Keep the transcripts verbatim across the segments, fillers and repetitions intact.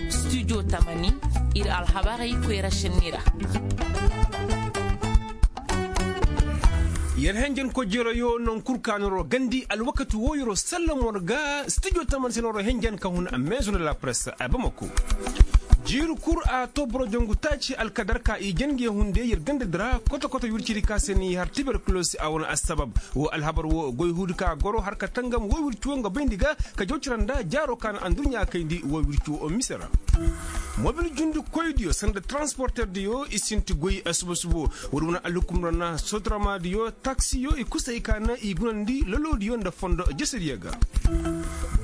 Studio tamani, ir alhabarey koyra šenni ra. Yer henjen ko jeroyo non kul ka noroo gandi alwakati woo yeroo sallamor ga studio tamani se noroo henjen ka hun a meezo nda la presse a bamako. Jiiri kul a too boro jongu taaci alkadar ka i jange hunde yer ganda di ra koto koto wircidi ka se ni har tiberkulosi a wane assabab. Woo alhabar woo goy huudi ka goro har ka tangam woo wirci woo nga bayndi ga ka jaw cira nda jaaroo ka na anduɲɲa kayndi woo wirci woo mise ra. Mobil jundi koydiyo sanda taransporterdiyo i sinti goy suba subo. Woodi wane alhukumra na sotramaadiyo taksiyo i kusa hay ka na i gunandi loloodiyo nda fondo jesediyo ga.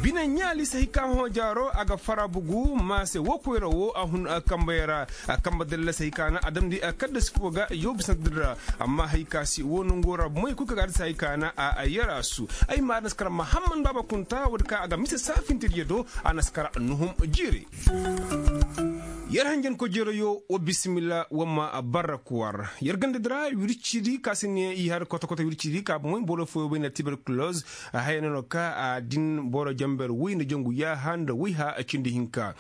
Bine ɲaali se hay ka hõ jaaro a ga fara bugu maase woo koyra woo a hun kambayey ra. A kamba dalla se hay ka na a damndi a kaddasi foo ga yoo bisante di ra. Amma hay ka si woo nongoo ra bomoy kul ka ga a dasa hay ka na a yaraasu. Ay ma a na si kar mahamman baaba kunta woodi ka a ga mise saafintediyo do. A na si kar nuhum jiiri. Yer hanjanko jeroyo wa bisimilla wa ma barra kuwar yer ganda dira wircidi ka si ne i har koto koto wircidi ka bomoy boro fooyo bay nda tiberkuloz. Haya no no ka a din boro jamber woy nda jangu yaaha nda woy ha cindi hinka.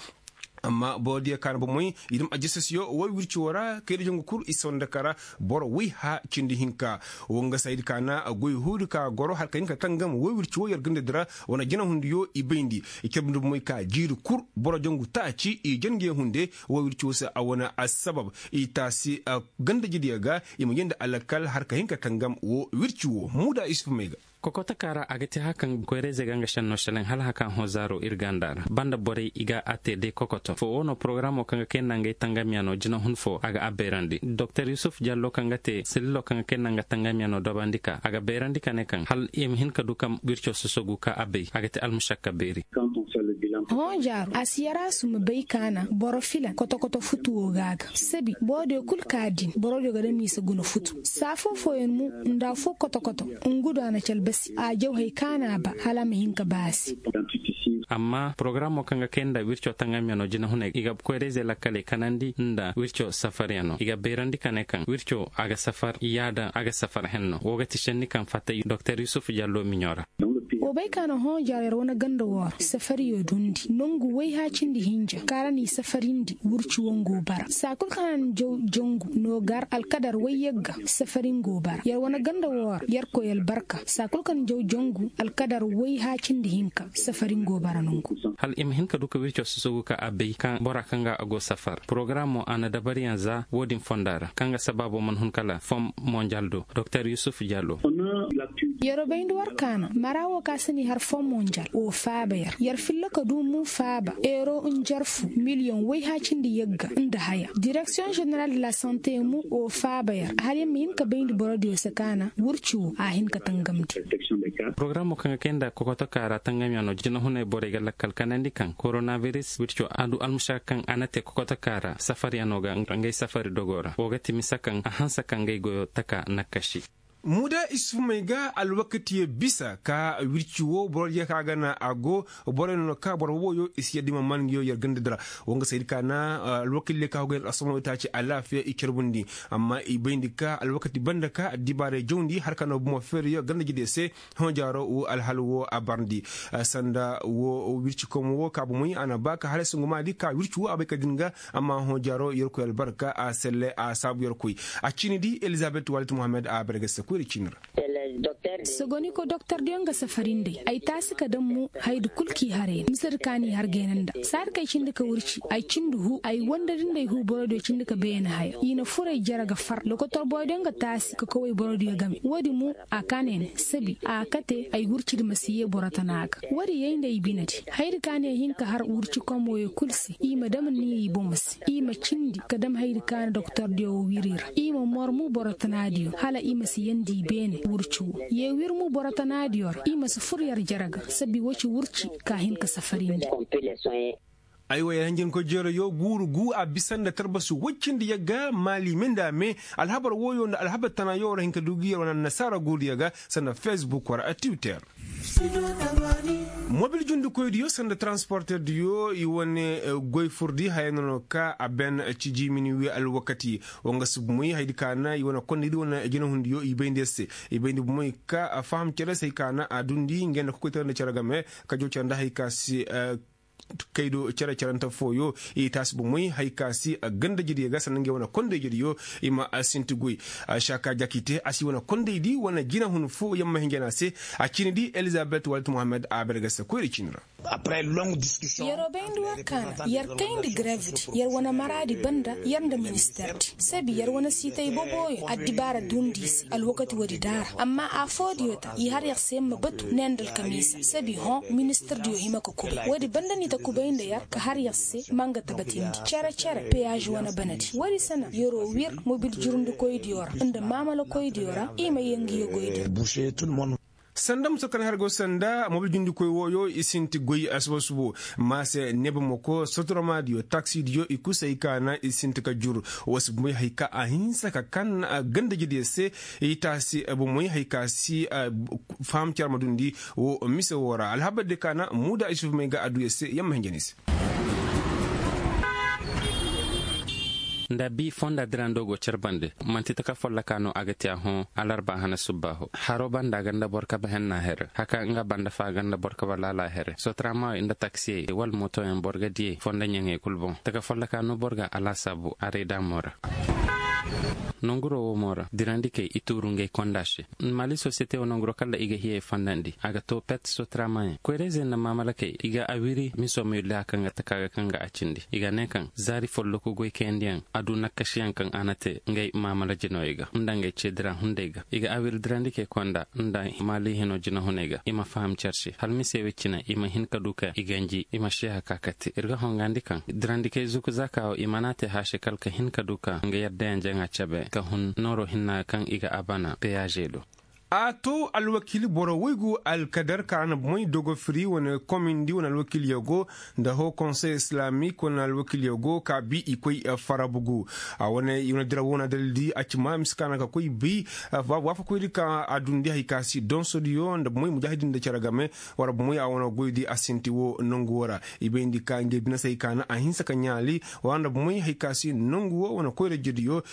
Amma borodiyo ka na bomoy i dam ajasasiyo woy wirci wo ra kayda jangu kul i sonda kara boro woy ha cindi hinka. Wo nga saydi ka na goy huudi ka goro har ka hin ka tangam woy wirci wo yer ganda dira wane jina hundiyo i bayndi. I carbundi bomoy ka jiiri kul boro jangu taaci i jange hunde woy wirci wo se a wane assabab i taasi gandajidiyo ga i ma yenda alakal har ka hin ka tangam wo wirci wo muuda isuf may ga. Kokotoka ra a ga te haka nga koyra-izey ga nga šenno šelaŋ hala haka hõ zaaro ir ganda ra banda borey i ga a te day kokoto foo wo no porogaraamo kaŋ ga kay nda ngey tangamyaŋo jinahun foo a ga a bayrandi doktor yusuf jallo kaŋ ga te selilo kaŋ ga kay nda nga tangamyaŋo dabandi ka a ga bayrandi ka ne kaŋ hala i ma hin ka du kaŋ wirco sosogu ka a bay a ga te almušakka beeri. Hõ jaaro a si yaraasu ma bay ka na boro filan kotokoto futuwo ga a ga sabi borodiyo kul ka din borodiyo ga dam i si guna futu saa foo fooyaŋ mo nda afoo kotokoto ngu do a na calbasi a jaw hay ka na a ba hala a ma hin ka baasi. Amma porogaraamo kaŋ ga kay nda wirco tangamyaŋo jinahuney i ga koyra-izey lakkaley kanandi nda wirco safaryaŋo i ga bayrandi ka ne kaŋ wirco a ga safar yaada a ga safar henno woo ga ti šenni kaŋ fatta doktor yusuf jallo miɲo ra. Wa bay ka na hõ jaaro yer wane ganda woo ra safariyo dundi nongu woy-ha-cindi hinja kaŋ ra n'i safarindi wirci woo ngu bara saa kul kaŋ a na jaw jangu noogar alkadar woy yagga safari ngu bara yer wane ganda woo ra yerkoy albarka saa kul kaŋ jaw jangu alkadar woy-ha-cindi hinka safari ngu bara nongu. Hala i ma hin ka du ka wirco sosogu ka a bay kaŋ bora kaŋ ga a go safar porogaraamo a na dabariyaŋ za woo din fonda ra kaŋ ga sabaabo man hun kala fom monjal do doktor yusuf jallo. Yeroo bayndi war kaana mara woo ka si ni har foo monjal woo faaba yer yer filla ka duu mu faaba euro njarfu miliyoŋ woy-haacindi yagga nda haya direksiyoŋ ženeral de la sante mu woo faaba yer hala yer ma hin ka bayndi borodiyo se kaana wurci woo a hin ka tangamndi. Porogaramoo kaŋ ga kay nda kokotokaa ra tangamyaŋo jinahunay borey ga lakkal kanandi kaŋ koronabiris wirco a du almušaka kaŋ a na te kokotokaa ra safaryaŋo ga ngey safari dogoo ra woo ga ti misa kaŋ a hanse ka ngey goyoo taka nakkasi. Muuda isufumey ga alwakatiyo bisa ka wirci woo borodiyo ka ga na a go borey no ka boro wooyo i si yadda i ma man nguyo yer ganda dira. Woo nga saydi ka na alwakildiyo ka go yer asomawey taaci alaafiya i carbundi. Amma i bayndi ka alwakati banda ka addibaaray jawndi har ka no bomo feeriyo ganda jidiyo se. Hõ jaaro woo alhal woo a barndi sanda woo wirci komo woo ka bomoy a na ba ka halasi ngumaadi ka wirci woo a bay ka din ga. Amma hõ jaaro yerkoy albarka a selle a saabu yerkoy a ciini di elizabet walit mohammed a bargase koyri ciini ra. Sogoniko doktordiyo nga safarindey ay taasi ka dam mo hayadi kul k'i harey no misedi ka n'i har gayna nda saadi kaŋ ay cindi ka wirci ay cindi huu ay wandadi nda ay huu borodiyo cindi ka beene haya i na fur ay jere ga far lokotor borodiyo nga taasi ka koy ay borodiyo game woodi mo a ka ne ne sabi a kate ay wircidi ma si yee boro tana ga woodi yay nda ay binedi hayadi ka ne ay hin ka har wirci komoyo kul se i ma dam ni i bomo se i ma cindi ka dam hayadi ka na doktordiyo woo wiri ra i ma mor mu boro tanaadiyo hala i ma si yandi i beene wirci woo yee wir mu boro tanaadiyo ra i ma si fur yer jere ga sabi woo ci wirci ka hin ka safarindi. Aywa yer hanjankoy jeerayo guuru gu a bisa nda tarbasu woy cindi yagga maali me nda a me. Alhabar wooyo nda alhabar tanayo war hin ka du gi yer wane annasaara guuruyo ga sanda fesbuk war a tiwiter. Mobil jundikoydiyo sanda taransporterdiyo i wane goy furdi haya no no ka a ben ci jiimini wi alwakati. Wa nga si bumoy haydi ka na i wane kondaydi wane jinahundiyo i bayndi yer se. I bayndi bumoy ka faham cere se hay ka na a dundi ngey nda kokoytara nda cere game ka jaw cere nda hay ka si kaydo cere-cerante fooyo. I taasi bomoy hay ka si gandajediyo ga sanna ngey wane kondayjediyo. I ma sinti goy. Saka jakite a si wane kondaydi wane jinahun fo yamma hinjana se. A ciini di elizabet walit mohammed a bergase koyri ciini ra. Yeroo bayndi war kaana yer kayndi grevedi yer wane maraadi banda yer nda ministerdi sabi yer wane siitay boboyo addibaara dundi se alwakati woodi daara amma a foodiyo ta i har yer se ma batu ne nda alkamiisa sabi hõ ministirdiyo hima ka kubay woodi banda ni ta kubay nda yer ka har yer se ma nga tabatindi cere-cere peyaaz wane banadi woodi se na yeroo wir mobil jurundikoydiyo ra nda maamalakoydiyo ra i ma yee ngiyo goydi. Sanda musa kan har go sanda mobil jundikoy wooyo i sinti goy asuba subo maase nebamako sotoramaadiyo taksidiyo i kusay ka na i sinti ka jur. Wa si bumay hay ka a hinsa ka kan gandajediyo se i taasi bumay hay ka si faham carma dundi wo mise woo ra alhabar de ka na muuda isuf may ga adduyo se yamma hinja ni se. Nda bi fonda dirando go carbandi manti taka folloka no a ga te a hõ alarba hana subbaaho haro banda ganda boro kabe henna here haka nga banda fa ganda boro kabe laala here sotramawe nda taksiyey wala motoyaŋ boro ga diyey fonda ɲaŋey kulu boŋ taka folloka no boro ga alaasaabu aray daamo ra. Nonguro wo mo ra dirandikey i tuuru ngey konda se. Mali sosiyete wo nonguro kala i ga hiyey fondandi a ga to pet sotramayaŋ koyra-izey nda maamalakey i ga a wiri miso ma yulli haka nga taka ga kaŋ ga a cindi i ga ne kaŋ zaari folloku goy kayandiyaŋ a du nakkasiyaŋ kaŋ a na te ngey maamala jinoyey ga nda ngey ceedira hunday ga i ga a wiri dirandikey konda nda maali hino jinahuney ga i ma faham car se hala mise wey cine i ma hin ka du ka i ganji i ma seeha ka kate ir ga hongandi kaŋ dirandikey zuku zaaka wo i mana te haase kala ka hin ka du ka nga yaddayaŋ jaŋa cabe ka hun nooro hinna kaŋ i ga a bana peyaazey do. A to alwakiili boro woy gu alkadar ka a na bomey dogofiri wane komindi wane alwakiiliyo go nda ho konsey islaamik wane alwakiiliyo go ka bi i koy farabugu. A wane i wane dira wo na dalildi a ci ma mise ka na ka koy bi waafakoydi ka a dundi hay ka si donsodiyo nda bomey mujaahidin nda cere game. War bomey a wane goydi a sinti wo nongu wo ra i bayndi ka ngey binasey ka na a hinsa ka ɲaali. War nda bomey hay ka si nongu wo wane koyra jediyo.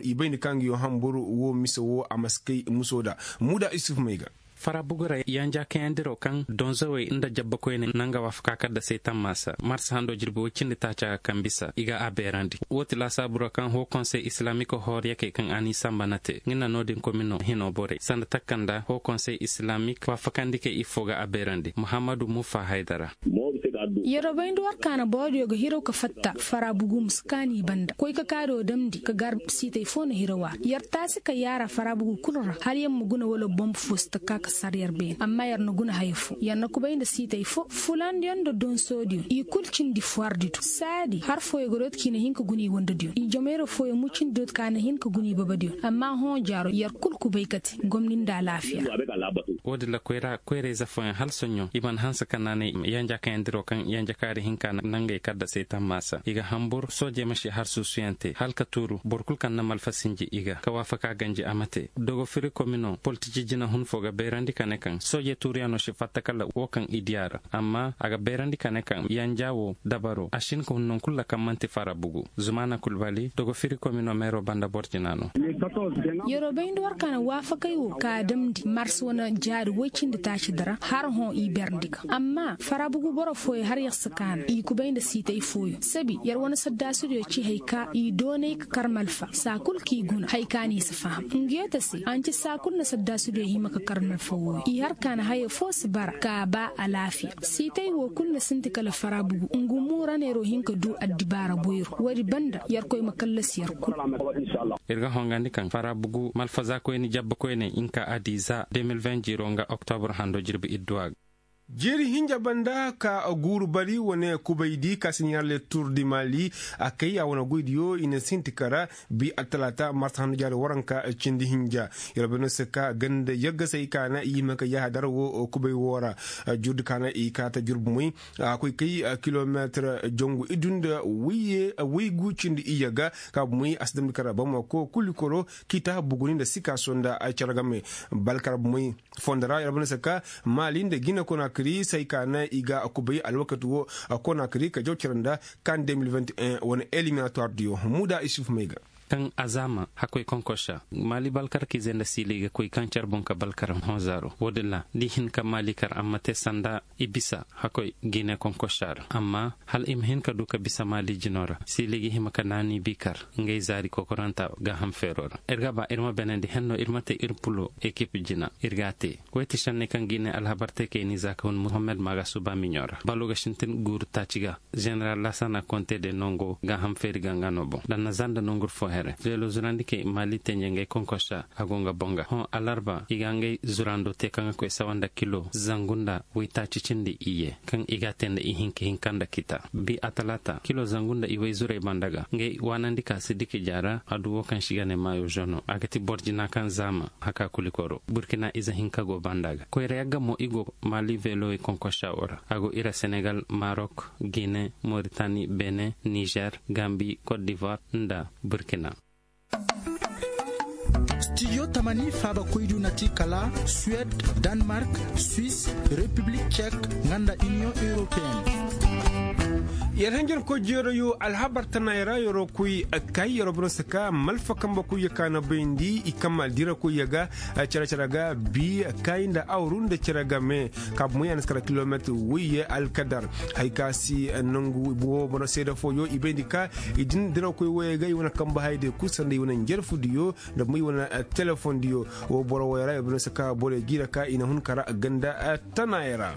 I bayndi ka ngi yo hambur wo mise wo a ma si kay muso da muuda isuf may ga. Fara bugu ra yanja kayandiro kaŋ donzowey nda jabba koyne na nga waafaka kaddasey tammaasa marsa hando jirbi woy cindi taaca ga kaŋ bisa i ga a beerandi. Wo ti laasaabu ra kaŋ ho konsey islaamiko hooriyakey kaŋ a n'i samba na te nga na no-din komino hino borey sanda takka nda ho konsey islaamik waafakandikey iffo ga a beerandi muhammadu mufa haydara. Yerobay nda war kaana boodiyo ga hiraw ka fatta fara bugu ma si kaani banda koy ka kaado damndi ka gar siitay fo na hiraw a ra yer taasi ka yaara fara bugu kul ra hala yer ma guna wala bomb fo si ta ka ka sar yer beene amma yer na guna haya fo yer na kubay nda siitay fo fulandiyo nda donsoodiyo i kul cindi fwardiyo saadi har fooyo ga dooti ka i na hin ka guna i wandadiyo i jamayra fooyo mucindi dooti ka na hin ka guna i babadiyo amma hõ jaaro yer kul kubay kate gomni nda alaafiya. Wo-din ra koyra koyra-ize fooyaŋ hala soɲõ i mana hanse ka naanay yanja kayandiroo kaŋ yanja kaari hinka na ngey kaddasey tammaasa i ga hambur soojey ma si har suusuyaŋ te hala ka tuuru boro kul kaŋ na malfa sinji i ga ka waafaka ganji a ma te dogo firi komino politici jinahun foo ga bayrandi ka ne kaŋ soojey tuuruyaŋo si fatta kala woo kaŋ i dii a ra amma a ga bayrandi ka ne kaŋ yanja woo dabaroo a si hin ka hun naŋ kul ra kaŋ man'ti fara bugu. Zumaana kulbali dogo firi komino meeroo banda boro jina no. Yeroo bay nda war ka na waafakay woo ka a damndi mars wane jaari woy cindi taaci di ra har hõ i berndi ga amma fara bugu boro fooyo har yer si kaanu i kubay nda siitay fooyo sabi yer wane saddaasidiyo ci hay ka i doonay ka kar malfa saa kul k'i guna hay ka n'i si faham. Nga yee ta se a nci saa kul na saddaasidiyo hima ka kar malfa wooyo i har kaanu haya foo si bara ka a ba alaafiya siitay woo kul na sinti kala fara bugu nga muura neeroo hin ka du addibaara boyro woodi banda yerkoy ma kallasi yer kul. Ir ga hongandi kaŋ fara bugu malfaza koyne jabba koyne nka adiza deux mille vingt jiiroo nga oktobur hando jirbi idduwa ga. Jeeri hinja banda ka guuru bari wane kubay di ka si ɲaarle tuur di maali. A kay a wane goy diyo i na sinti kara bi attalaata marsa handu jaari waranka cindi hinja. Yer bane se ka ganda yaggasay ka na i hima ka yahadar wo kubay wo ra. Jurdi ka na i kaata jurbu moy a koy kay kilomeetir jongu iddu nda wayye waygu cindi iyye ga. Ka bu moy a si damndi kara bamako kulikoro kiita buguni nda sikaaso nda cere game. Balkar bu moy fondo ra yer bane se ka maali nda gine konakiri se hay ka na i ga kubay alwakati wo konakiri ka jaw cere nda kan de mil vingt et un wane eliminatoire diyo. Muuda isuf may ga. Kaŋ a zaama hakkoy konkosa maali balkarkiize nda siili ga koy kaŋ care boŋ ka balkar hõ zaaro wo-din ra da i hin ka maali kar amma te sanda i bisa hakkoy gine konkosa ra amma hala i ma hin ka du ka bisa maali jino ra siili ga hima ka naani bi kar ngey zaari kokoranta gaaham feero ra ir ga ba ir ma benandi henno ir ma te ir pulo ekip jina ir ga a te. Way ti šenney kaŋ gine alhabar te kay ni za ka hun muhammad maaga suba miɲo ra balo ga sintin guuru taaci ga. Ženeral lasana konte de nongo gaaham feeri ganga no boŋ da na zanda nongur fo here velo zurandi kay maali tenje ngey konkosa a go nga boŋ ga hõ alarba i ga ngey zurando te kaŋ ga koy sawa nda kilo zangu nda waytaaci cindi iyye kaŋ i ga a te nda ihinka hinka nda kita bi atalaata kilo zangu nda iway zurey banda ga ngey waanandi ka si diki jaara a du wo kaŋ si ga ne maayo žono a ga ti boro jina kaŋ zaama haka kulikoro burkina ize hinka go banda ga koyra yagga mo i go maali velowey konkosa wo ra a go ira senegal marok gine moritani bene nizer gambi kot divoir nda burkina. Studio tamani faaba koydu na ti kala suwed, danmark, swis, repiblik cek, nga nda iniyoŋ europeen. Yer hanjankoy jeeroyo alhabar tanaayey ra yeroo koy kay yeroo boro se ka malfa kambe koyyo ka na bayndi i kamma dirakoyyo ga. Cere cere ga bi kay nda awru nda cere game. Ka bu moy a na si kara kilometir woyye alkadar. Hay ka si nangu wo boro seede fooyo i bayndi ka i din dirakoy woyey ga i wane kambe hayadiyo kul sanda i wane njarfudiyo nda mo i wane telefondiyo. Wo boro woyey ra i boro se ka borey jiira ka i na hun kara ganda tanaayey ra.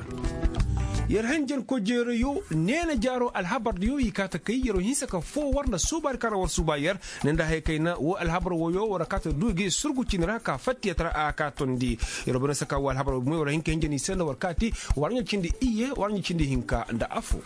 Yer hanjankoy jeeroyo neena jaaro alhabardiyo i kaa ta kay yeroo hinsa ka foo war nda suubaari kaŋ ra war suuba yer ne nda haya kayna wo alhabar woyo war kaa ta du gi surgu cindi ra ka fattiyat ra a kaa tondi. Yeroo boro se ka wo alhabar woyo war hin ka hinja ni se nda war kaati war ɲa cindi iyye war ɲa cindi hinka nda afo.